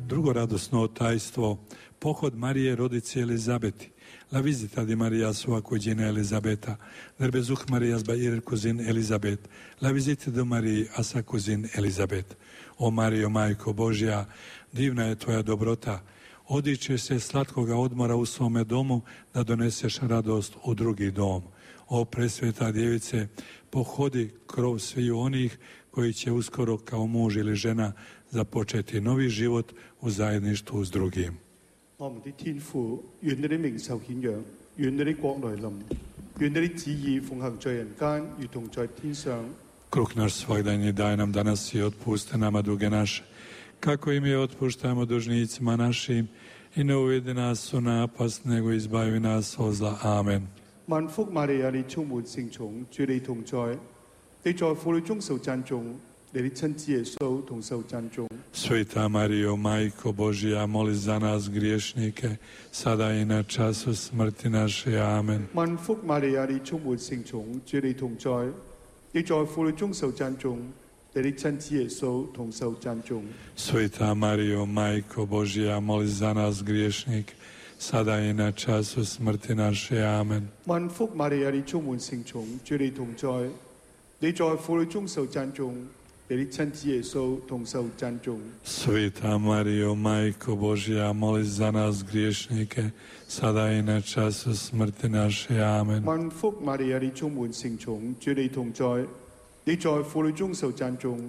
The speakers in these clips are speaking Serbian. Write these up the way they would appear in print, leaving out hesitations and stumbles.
Drugo radosno tajstvo, pohod Marije rodice Elizabeti. La visita di Maria sua cugina Elisabeta, del besuch Marias bei ihrer Cousine Elisabeth, la visita di Mariji a sa cugin Elisabet. O Marijo, Majko Božja, divna je tvoja dobrota, odičeš se slatkoga odmora u svome domu da doneseš radost u drugi dom. O presveta djevice, pohodi krov sviju onih koji će uskoro kao muž ili žena započeti novi život u zajedništvu s drugim. Kruh naš svagdanji daj nam danas i otpusti nama duge naše, kako i mi otpuštamo dužnicima našim, i ne uvedi nas u napast, nego izbavi nas od zla. Amen. 萬福瑪利亞，你充滿聖寵，主你同在，你在婦女中受讚頌，你的親子耶穌同受讚頌。 Sveta Marijo, Majko Božja, moli za nas griješnike, sada i na času smrti naše. Amen. 萬福瑪利亞，你充滿聖寵，主你同在，你在婦女中受讚頌，你的親子耶穌同受讚頌。 Sveta Marijo, Majko Božja, moli za nas griješnike, sada i na času smrti naše. Amen. 萬福瑪利亞，你充滿聖寵，主你同在，你在婦女中受讚頌，你的親子耶穌同受讚頌。 Sveta Marijo, Majko Božja, moli za nas griješnike, sada i na času smrti naše. Amen. 萬福瑪利亞，你充滿聖寵，主你同在，你在婦女中受讚頌，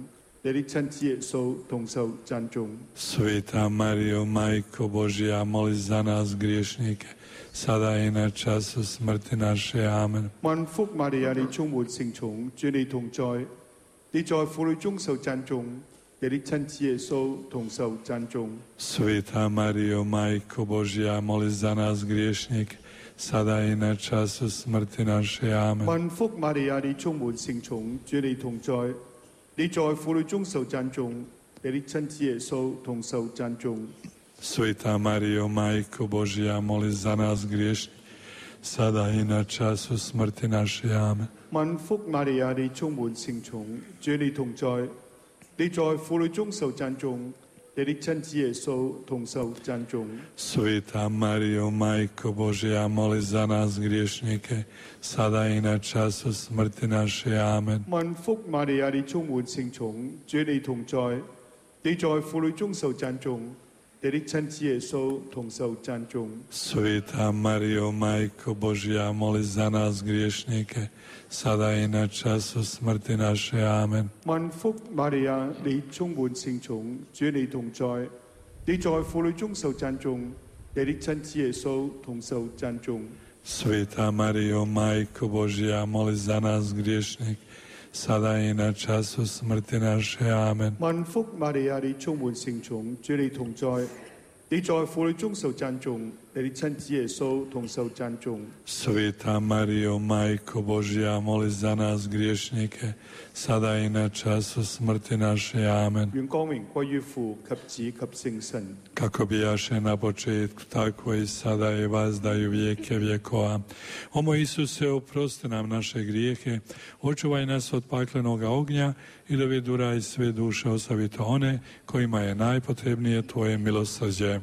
你的親子耶穌同受讚頌。 Sveta Marijo, Majko Božja, moli za nas griješnike, sada i na času smrti naše. Amen. 萬福瑪利亞，你充滿聖寵，主你同在，你在婦女中受讚頌，你的親子耶穌同受讚頌。 Sveta Marijo, Majko Božja, moli za nas griješnike, sada i na času smrti naše. Amen. 萬福瑪利亞，你充滿聖寵，主你同在，你在婦女中受讚頌，你的親子耶穌同受讚頌。 Sveta Marijo, Majko Božja, moli za nas griješnike, sada i na času smrti naše. Amen. 萬福瑪利亞，你充滿聖寵，主你同在，你在婦女中受讚頌，你的親子耶穌同受讚頌。 Sveta Marijo, Majko Božja, moli za nas griješnike, sada i na času smrti naše. Amen. 萬福瑪利亞，你充滿聖寵，主你同在，你在婦女中受讚頌，你的親子耶穌同受讚頌。 Sveta Marijo, Majko Božja, moli za nas griješnike, sada i na času smrti naše. Amen. 萬福瑪利亞，你充滿聖寵，主你同在，你在婦女中受讚頌，你的親子耶穌同受讚頌。 Sveta Marijo, Majko Božja, moli za nas griješnike, sada i na času smrti naše. Amen. 萬福瑪利亞，你充滿聖寵，主你同在，你在婦女中受讚頌，你的親子耶穌同受讚頌。 Sveta Marijo, Majko Božja, moli za nas griješnike, sada i na času smrti naše. Amen. 願光榮歸於父及子及聖神。 Kako bijaše na početku, tako i sada i vazdaju vijeke vjekova. O moj Isuse, oprosti nam naše grijehe, očuvaj nas od paklenoga ognja i doveduraj sve duše, osobito one kojima je najpotrebnije Tvoje milosrđe.